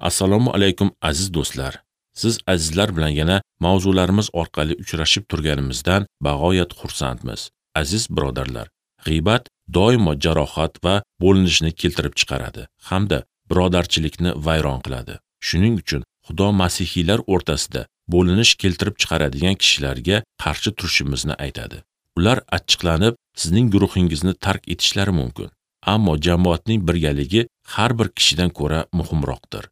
Assalomu alaykum aziz do'stlar. Siz azizlar bilan yana mavzularimiz orqali uchrashib turganimizdan bag'oyat xursandmiz. Aziz birodarlar, g'iybat doimo jarohat va bo'linishni keltirib chiqaradi hamda birodarchilikni vayron qiladi. Shuning uchun Xudo masihiylar o'rtasida bo'linish keltirib chiqaradigan kishilarga qarshi turishimizni aytadi. Ular achchiqlanib, sizning guruhingizni tark etishlari mumkin. Ammo jamoatning birgaligi har bir kishidan ko'ra muhimroqdir.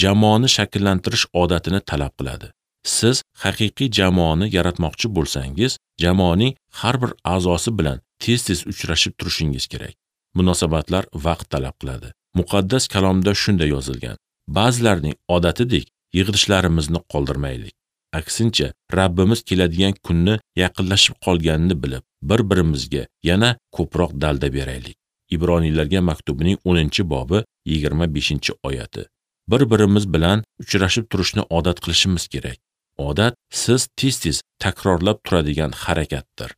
Jamoani shakllantirish odatini talab qiladi. Siz haqiqiy jamoani yaratmoqchi bo'lsangiz, jamoaning har bir a'zosi bilan tez-tez uchrashib turishingiz kerak. Munosabatlar vaqt talab qiladi. Muqaddas kalomda shunday yozilgan: ba'zilarning odatidek yig'ilishlarimizni qoldirmaylik. Aksincha, Rabbimiz keladigan kunni yaqinlashib qolganini bilib, bir-birimizga yana ko'proq dalda beraylik. Ibroniylarga maktubining 10-bobi 25-oyati. Bir-birimiz bilan uchrashib turishni odat qilishimiz kerak. Odat siz tez-tez takrorlab turadigan harakatdir.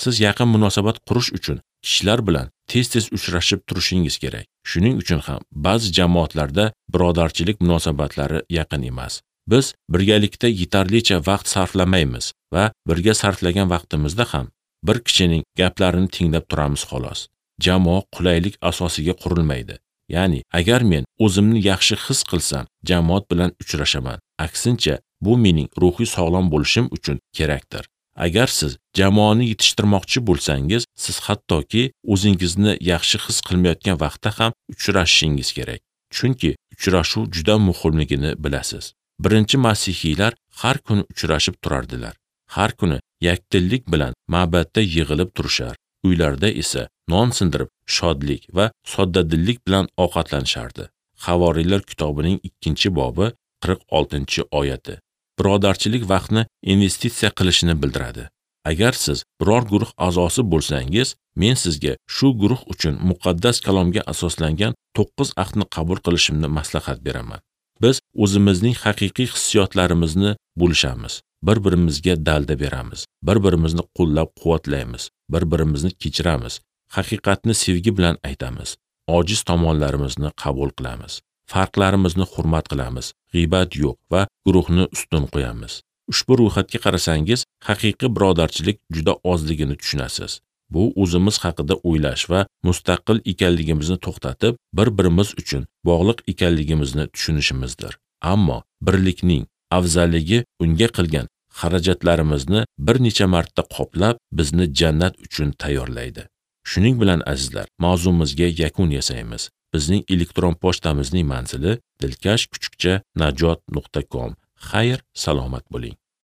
Siz yaqin munosabat qurish uchun kishilar bilan tez-tez uchrashib turishingiz kerak. Shuning uchun ham ba'zi jamoatlarda birodarchilik munosabatlari yaqin emas. Biz birgalikda yetarlicha vaqt sarflamaymiz va birga sarflagan vaqtimizda ham bir kishining gaplarini tinglab turamiz xolos. Jamoa qulaylik asosiga qurilmaydi. Ya'ni, agar men o'zimni yaxshi his qilsam, jamoat bilan uchrashaman. Aksincha, bu mening ruhiy sog'lom bo'lishim uchun kerakdir. Agar siz jamoani yetishtirmoqchi bo'lsangiz, siz hattoki o'zingizni yaxshi his qilmayotgan vaqtda ham uchrashishingiz kerak. Chunki uchrashuv juda muhimligini bilasiz. Birinchi masihiylar har kuni uchrashib turardilar. Har kuni yakdillik bilan ma'batda yig'ilib turishar. Uylarda esa non sindirib, shodlik va soddadillik bilan ovqatlanishardi. Havoriylar kitobining 2-bobi 46-oyati. Birodarchilik vaqtni investitsiya qilishini bildiradi. Agar siz biror guruh a'zosi bo'lsangiz, men sizga shu guruh uchun muqaddas kalomga asoslangan 9 ahdni qabul qilishimni maslahat beraman. Biz o'zimizning haqiqiy hissiyotlarimizni bo'lishamiz, bir-birimizga dalda beramiz, bir-birimizni qo'llab-quvvatlaymiz, bir-birimizni kechiramiz, haqiqatni sevgi bilan aytamiz, ojiz tomonlarimizni qabul qilamiz, farqlarimizni hurmat qilamiz, g'iybat yo'q va guruhni ustun qo'yamiz. Ushbu ro'yxatga qarasangiz, haqiqiy birodarchilik juda ozligini tushunasiz. Bu o'zimiz haqida o'ylash va mustaqil ekanligimizni to'xtatib, bir-birimiz uchun bog'liq ekanligimizni tushunishimizdir. Ammo birlikning afzalligi unga qilgan xarajatlarimizni bir necha marta qoplab, bizni jannat uchun tayyorlaydi. Shuning bilan azizlar, mavzumizga yakun yasaymiz. Bizning elektron pochtamizning manzili dilkash@najot.com. Xayr, salomat bo'ling.